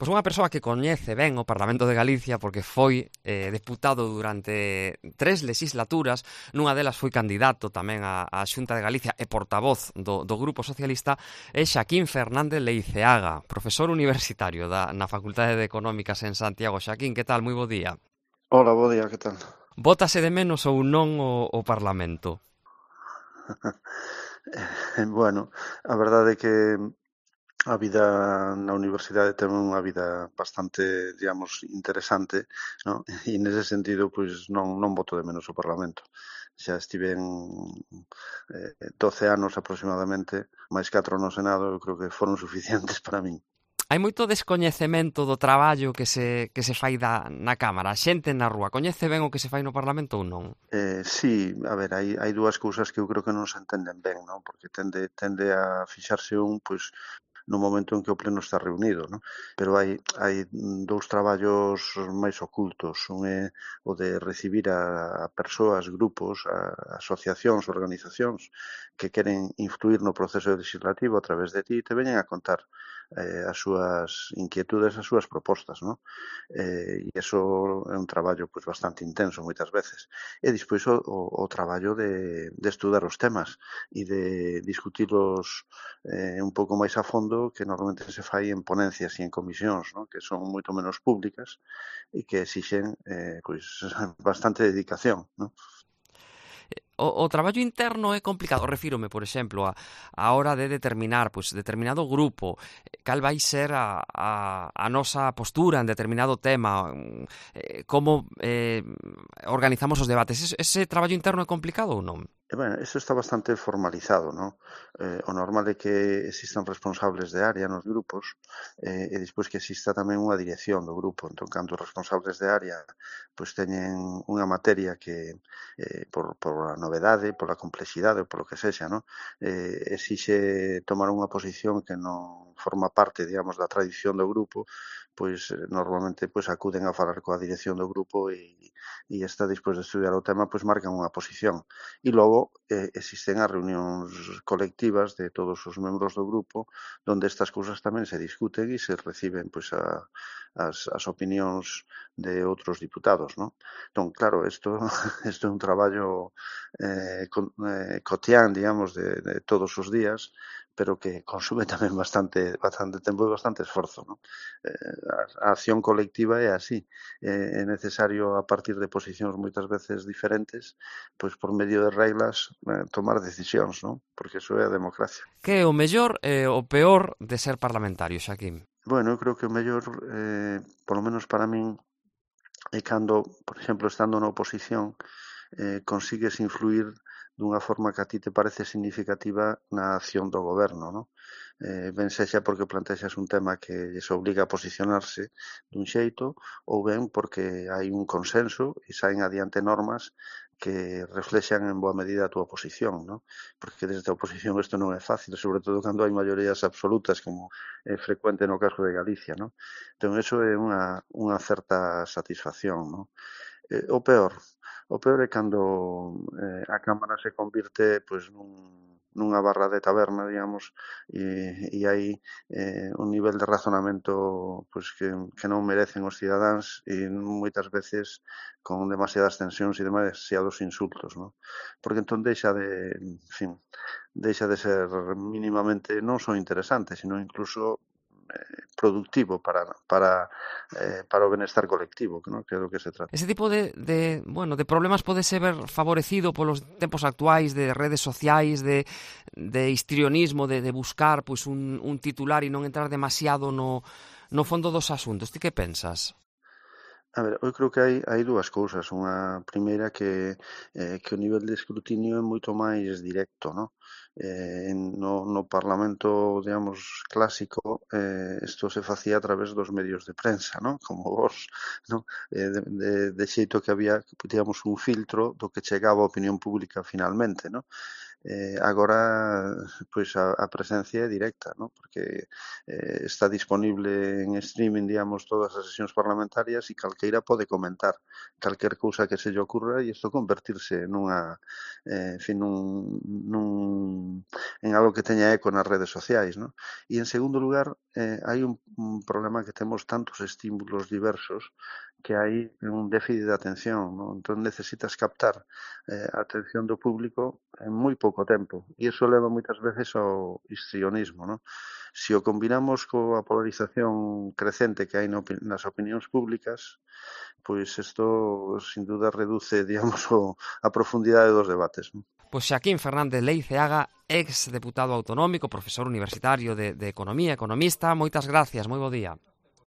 Pois unha persoa que coñece ben o Parlamento de Galicia porque foi deputado durante 3 legislaturas, nunha delas foi candidato tamén á Xunta de Galicia e portavoz do Grupo Socialista, é Xaquín Fernández Leiceaga, profesor universitario na Facultade de Económicas en Santiago. Xaquín, que tal? Moi bo día. Hola, bo día, que tal? Bótase de menos ou non o Parlamento? Bueno, a verdade é que a vida na universidade ten unha vida bastante, digamos, interesante, non? E nese sentido, pois, non boto de menos o Parlamento. Xa estiven 12 anos aproximadamente, máis 4 no Senado, eu creo que foron suficientes para min. Hai moito descoñecemento do traballo que se fai na Cámara. A xente na rúa coñece ben o que se fai no Parlamento ou non? Sí, a ver, hai dúas cousas que eu creo que non se entenden ben, non? Porque tende a fixarse pois, no momento en que o pleno está reunido, non? Pero hai dous traballos máis ocultos. Un é o de recibir a persoas, grupos, a asociacións, organizacións que queren influir no proceso legislativo a través de ti e te veñen a contar as súas inquietudes, as súas propostas, non? E iso é un traballo pois bastante intenso moitas veces. E despois o traballo de estudar os temas e de discutilos un pouco máis a fondo, que normalmente se fai en ponencias e en comisións, non? Que son moito menos públicas e que exixen pois bastante dedicación, non? O traballo interno é complicado. Refírome, por exemplo, a hora de determinar determinado grupo, cal vai ser a nosa postura en determinado tema, como organizamos os debates. Ese traballo interno é complicado ou non? E, bueno, eso está bastante formalizado, non? O normal é que existan responsables de área nos grupos e despois que exista tamén unha dirección do grupo. Entón, cando os responsables de área pois teñen unha materia que por a novedade, pola complexidade ou polo que sexa, non? Exixe tomar unha posición que non forma parte, digamos, da tradición do grupo, pois normalmente pois acuden a falar coa dirección do grupo e esta, despois de estudiar o tema, pois marcan unha posición. E logo existen as reunións colectivas de todos os membros do grupo onde estas cousas tamén se discuten e se reciben pois as opinións de outros diputados, non? Entón, claro, isto é un traballo cotián, digamos, de todos os días, pero que consume tamén bastante tempo e bastante esforzo, non? A acción colectiva é así, é necesario a partir de posicións moitas veces diferentes, pois por medio de reglas tomar decisións, non? Porque iso é a democracia. Que é o mellor e o peor de ser parlamentario, Xaquín? Bueno, eu creo que o mellor, polo menos para min, é cando, por exemplo, estando na oposición, consigues influir dunha forma que a ti te parece significativa na acción do goberno, non? Ben sexa porque plantexas un tema que lles obliga a posicionarse dun xeito, ou ben porque hai un consenso e saen adiante normas que reflexan en boa medida a túa posición, non? Porque desde a oposición isto non é fácil, sobre todo cando hai maiorías absolutas, como é frecuente no caso de Galicia, non? Entón, iso é unha certa satisfacción, non? O peor é cando a Cámara se convirte pois nunha barra de taberna, digamos, e hai un nivel de razonamento pois que non merecen os cidadáns e moitas veces con demasiadas tensións e demasiados insultos, non? Porque entón deixa de ser mínimamente non só interesante, sino incluso productivo para o benestar colectivo, non? Que é do que se trata. Ese tipo de problemas pode ser favorecido polos tempos actuais de redes sociais, de histrionismo, de buscar pois un titular e non entrar demasiado no fondo dos asuntos. Ti que pensas? A ver, eu creo que hai dúas cousas. Unha primeira que o nivel de escrutinio é moito máis directo, non? No Parlamento, digamos, clásico, isto se facía a través dos medios de prensa, non? Como vos, non? De xeito que había, digamos, un filtro do que chegaba á opinión pública finalmente, non? agora pois a presencia é directa, ¿no? Porque está disponible en streaming, digamos, todas as sesións parlamentarias e calqueira pode comentar calquer cousa que se lle ocurra e isto convertirse nunha, en fin, en algo que teña eco nas redes sociais, ¿no? E en segundo lugar, hai un problema que temos tantos estímulos diversos que hai un déficit de atención, ¿no? Entón necesitas captar a atención do público en moi pouco tempo. E iso leva moitas veces ao histrionismo, ¿no? Se o combinamos coa polarización crecente que hai nas opinións públicas, pois isto sin duda reduce, digamos, a profundidade dos debates, ¿no? Pois Xaquín Fernández Leiceaga, ex deputado autonómico, profesor universitario de Economía, economista, moitas gracias, moi bo día.